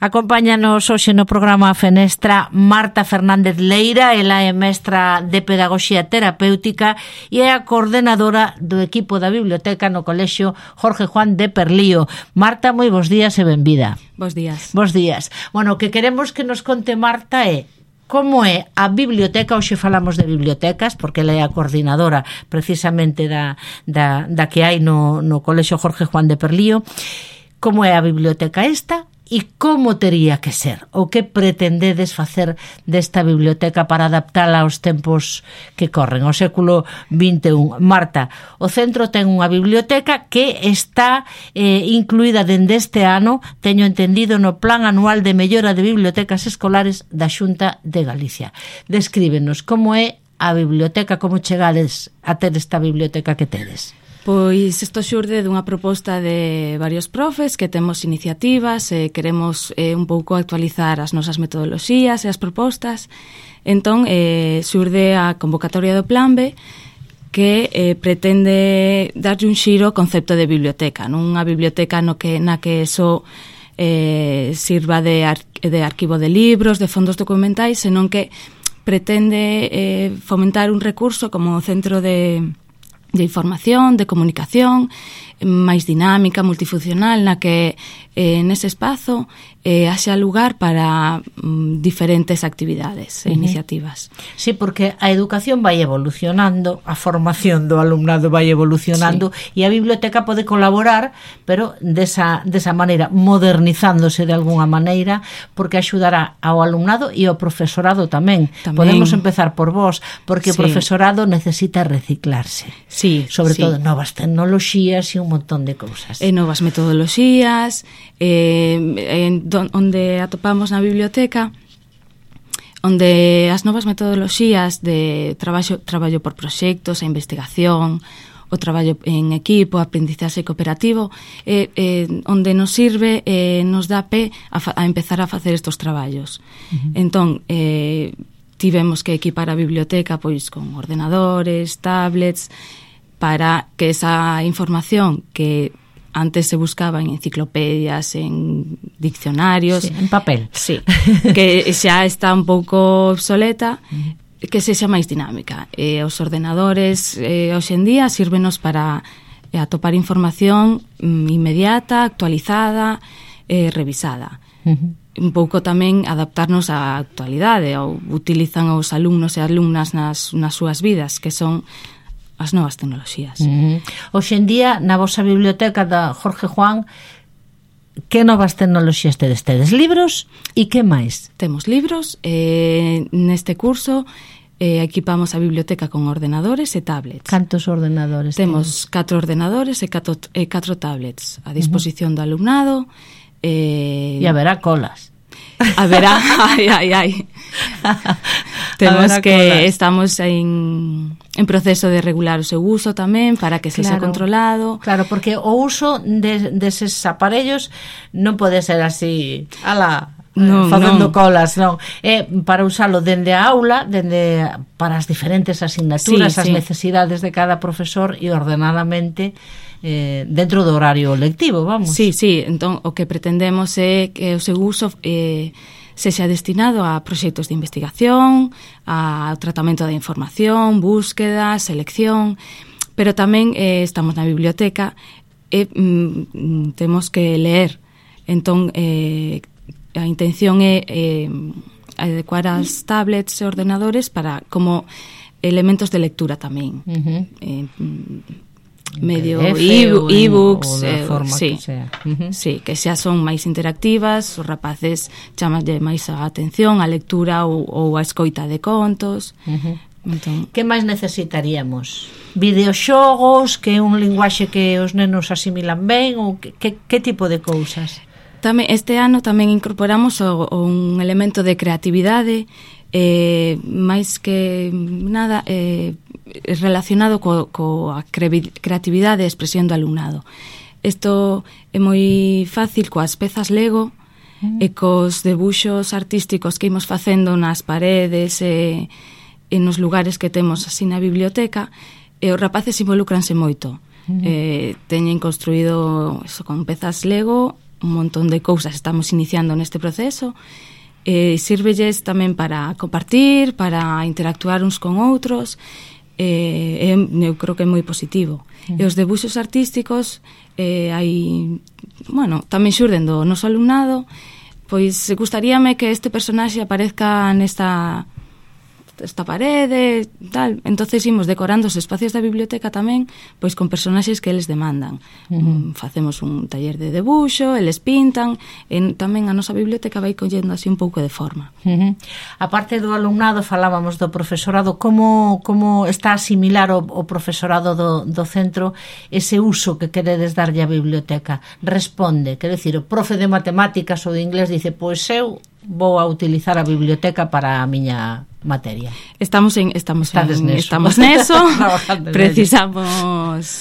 Acompáñanos hoxe no programa Fenestra Marta Fernández Leira. Ela é mestra de Pedagogía Terapéutica e é a coordenadora do equipo da biblioteca no Colexio Jorge Juan de Perlío. Marta, moi bons días e benvida. Bos días. Bos días. Bueno, o que queremos que nos conte Marta é como é a biblioteca. Hoxe falamos de bibliotecas porque ela é a coordinadora precisamente da que hai no Colexio Jorge Juan de Perlío. Como é a biblioteca esta e como tería que ser? O que pretendedes facer desta biblioteca para adaptala aos tempos que corren, ao século XXI? Marta, o centro ten unha biblioteca que está incluída dende este ano, teño entendido, no Plan Anual de Mellora de Bibliotecas Escolares da Xunta de Galicia. Descríbenos como é a biblioteca, como chegades a ter esta biblioteca que tedes. Pois isto xurde dunha proposta de varios profes que temos iniciativas e queremos un pouco actualizar as nosas metodoloxías e as propostas. Entón, xurde a convocatoria do Plan B que pretende darlle un xiro ao concepto de biblioteca, non unha biblioteca na que só sirva de arquivo de libros, de fondos documentais, senón que pretende fomentar un recurso como centro de información, de comunicación, máis dinámica, multifuncional, na que nese espazo haxa lugar para diferentes actividades e iniciativas. Sí, porque a educación vai evolucionando, a formación do alumnado vai evolucionando, sí, e a biblioteca pode colaborar, pero desa maneira, modernizándose de alguna maneira, porque axudará ao alumnado e ao profesorado tamén. Podemos empezar por vos, porque sí, o profesorado necesita reciclarse. Sí, sobre sí, todo novas tecnoloxías e un montón de cousas. Novas metodoloxías, onde atopamos na biblioteca, onde as novas metodoloxías de traballo por proxectos, a investigación, o traballo en equipo, a aprendizaxe cooperativo, onde nos sirve, nos dá pé a empezar a facer estos traballos. Entón, tivemos que equipar a biblioteca pois con ordenadores, tablets, para que esa información que antes se buscaba en enciclopedias, en diccionarios, sí, en papel, sí, que xa está un pouco obsoleta, que sexa máis dinámica. Os ordenadores hoxe en día sírvenos para atopar información inmediata, actualizada, revisada. Un pouco tamén adaptarnos á actualidade, ou utilizan os alumnos e alumnas nas súas vidas, que son as novas tecnoloxías. Hoxe en día, na vosa biblioteca da Jorge Juan, que novas tecnoloxías tedes? Tedes libros e que máis? Temos libros. Neste curso equipamos a biblioteca con ordenadores e tablets. Cantos ordenadores? Temos 4 ordenadores e 4 tablets a disposición do alumnado. E haberá colas. Haberá, ai. Temos que estamos en proceso de regular o seu uso tamén para que sexa controlado. Claro, porque o uso deses aparellos non pode ser así, facendo colas, non. É para usalo dende a aula, para as diferentes asignaturas, as necesidades de cada profesor e ordenadamente dentro do horario lectivo, vamos. Sí, entón o que pretendemos é que o seu uso sexa destinado a proxectos de investigación, ao tratamento da información, búsqueda, selección, pero tamén estamos na biblioteca e temos que ler. Entón, a intención é adecuar as tablets e ordenadores para como elementos de lectura tamén. Medio e-books, sí, que sea. Sí, que xa son máis interactivas, os rapaces chamanlle máis a atención a lectura ou a escoita de contos. Entón, que máis necesitaríamos? Videoxogos, que é un linguaxe que os nenos asimilan ben, ou que tipo de cousas? Tamén este ano tamén incorporamos un elemento de creatividade, máis que nada relacionado coa creatividade e expresión do alumnado. Isto é moi fácil coas pezas Lego e cos debuxos artísticos que imos facendo nas paredes e nos lugares que temos así na biblioteca, e os rapaces involúcranse moito. Teñen construído eso con pezas Lego un montón de cousas estamos iniciando neste proceso. Sírvelles tamén para compartir, para interactuar uns con outros. Eu creo que é moi positivo. E os debuxos artísticos tamén xurden do noso alumnado. Pois gustaríame que este personaxe aparezca nesta parede, tal. Entonces imos decorando os espacios da biblioteca tamén, pois con personaxes que eles demandan. Facemos un taller de debuxo, eles pintan, e tamén a nosa biblioteca vai collendo así un pouco de forma. A parte do alumnado, falábamos do profesorado, como está a asimilar o profesorado do centro ese uso que queredes darlle á biblioteca? Responde, quero dicir, o profe de matemáticas ou de inglés dice, pois eu vou a utilizar a biblioteca para a miña materia. Estamos neso.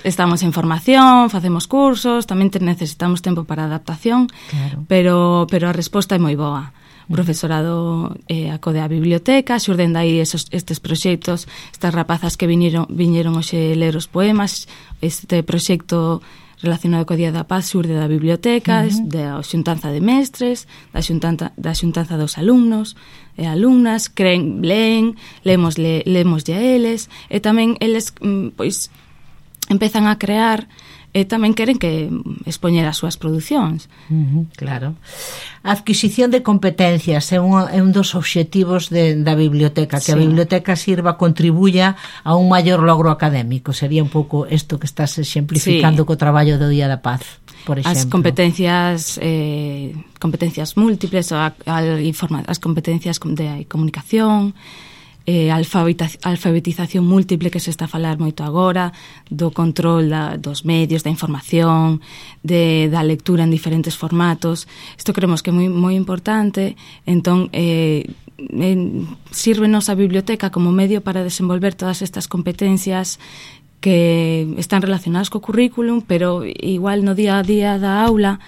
Estamos en formación, facemos cursos, tamén necesitamos tempo para adaptación, claro. pero a resposta é moi boa. O profesorado acode á biblioteca, xurden dai estes proxectos, estas rapazas que viñeron hoxe ler os poemas, este proxecto relacionado co Día da Paz xurde da biblioteca, da xuntanza de mestres, da xuntanza dos alumnos e alumnas, leen, lemoslle a eles, e tamén eles pois empezan a crear e tamén queren que expoñer as súas producións. Claro. A adquisición de competencias é un dos obxectivos da biblioteca, que a biblioteca sirva, contribuya a un maior logro académico. Sería un pouco isto que estás exemplificando co traballo do Día da Paz, por exemplo. As competencias múltiples, as competencias de comunicación, alfabetización múltiple, que se está a falar moito agora, do control dos medios, da información, da lectura en diferentes formatos. Isto creemos que é moi importante. Entón, sírvenos a biblioteca como medio para desenvolver todas estas competencias que están relacionadas co currículum, pero igual no día a día da aula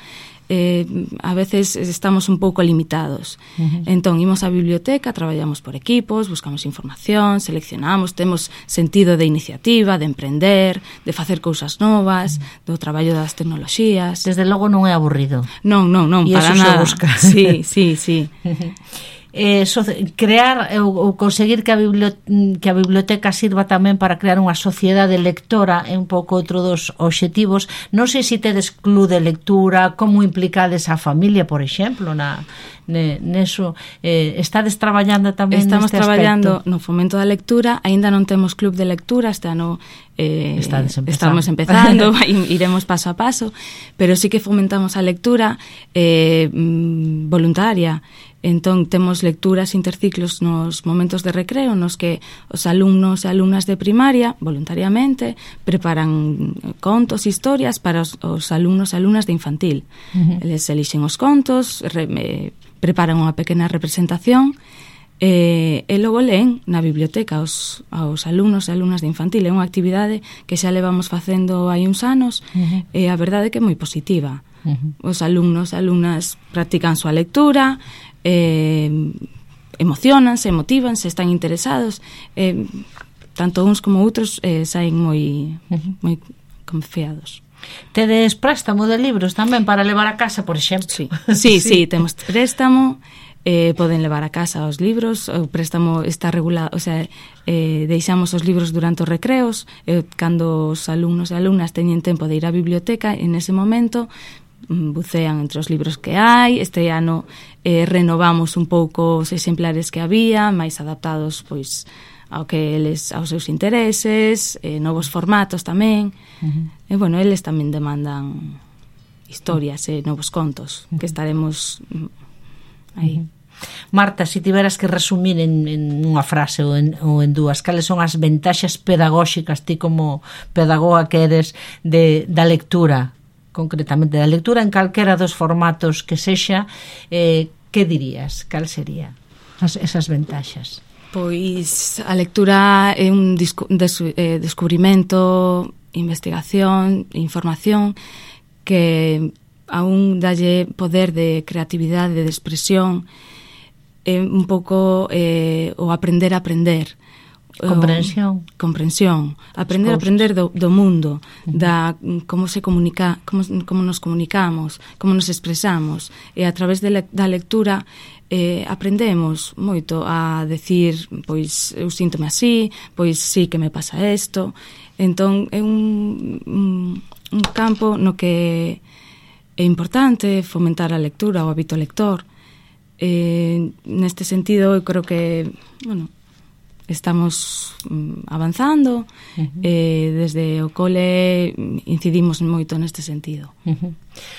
a veces estamos un pouco limitados. Entón, imos á biblioteca, traballamos por equipos, buscamos información, seleccionamos, temos sentido de iniciativa, de emprender, de facer cousas novas, do traballo das tecnoloxías. Desde logo non é aburrido. Non, para nada. E iso se busca. Sí. Crear ou conseguir que a biblioteca sirva tamén para crear unha sociedade lectora é un pouco outro dos obxectivos. Non sei se tedes club de lectura, como implicades a familia, por exemplo, neso. Estades traballando tamén neste aspecto? Estamos traballando no fomento da lectura, aínda non temos club de lectura, este ano estamos empezando, iremos paso a paso, pero sí que fomentamos a lectura voluntaria. Entón, temos lecturas interciclos nos momentos de recreo nos que os alumnos e alumnas de primaria, voluntariamente, preparan contos, historias para os alumnos e alumnas de infantil. Eles elixen os contos, preparan unha pequena representación e logo leen na biblioteca aos alumnos e alumnas de infantil. É unha actividade que xa levamos facendo hai uns anos e a verdade é que é moi positiva. Os alumnos e alumnas practican súa lectura, emocionanse, motívanse, están interesados, tanto uns como outros saen moi confiados. Tedes préstamo de libros tamén para levar a casa, por exemplo? Sí, temos préstamo, poden levar a casa os libros, o préstamo está regulado, o sea, deixamos os libros durante os recreos, cando os alumnos e alumnas teñen tempo de ir á biblioteca, en ese momento bucean entre os libros que hai. Este ano renovamos un pouco os exemplares que había, máis adaptados pois aos seus intereses, novos formatos tamén. E bueno, eles tamén demandan historias e novos contos que estaremos aí. Marta, se tiveras que resumir en unha frase ou en dúas, cales son as ventaxas pedagóxicas, ti como pedagoga que eres, da lectura, concretamente da lectura en calquera dos formatos que sexa, que dirías? Cal sería esas ventaxas? Pois a lectura é un descubrimento, investigación, información que aún dalle poder de creatividade, de expresión, un pouco o aprender a aprender. comprensión, aprender do mundo, da como se comunica, como nos comunicamos, como nos expresamos, e a través da lectura aprendemos moito a decir, pois eu síntome así, pois sí que me pasa isto. Entón é un campo no que é importante fomentar a lectura, o hábito lector. Neste sentido, eu creo que, bueno, estamos avanzando, desde o cole incidimos moito neste sentido.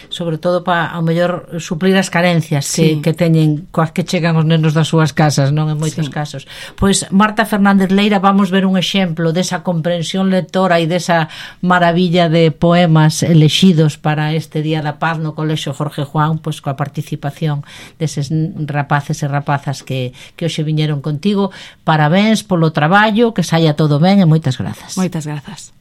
Sobre todo para, ao mellor, suplir as carencias que teñen coas que chegan os nenos das súas casas, non, en moitos casos. Pois, Marta Fernández Leira, vamos ver un exemplo desa comprensión lectora e desa maravilla de poemas elexidos para este Día da Paz no Colexio Jorge Juan, pois coa participación deses rapaces e rapazas que hoxe viñeron contigo. Parabéns polo traballo, que saia todo ben e moitas grazas. Moitas grazas.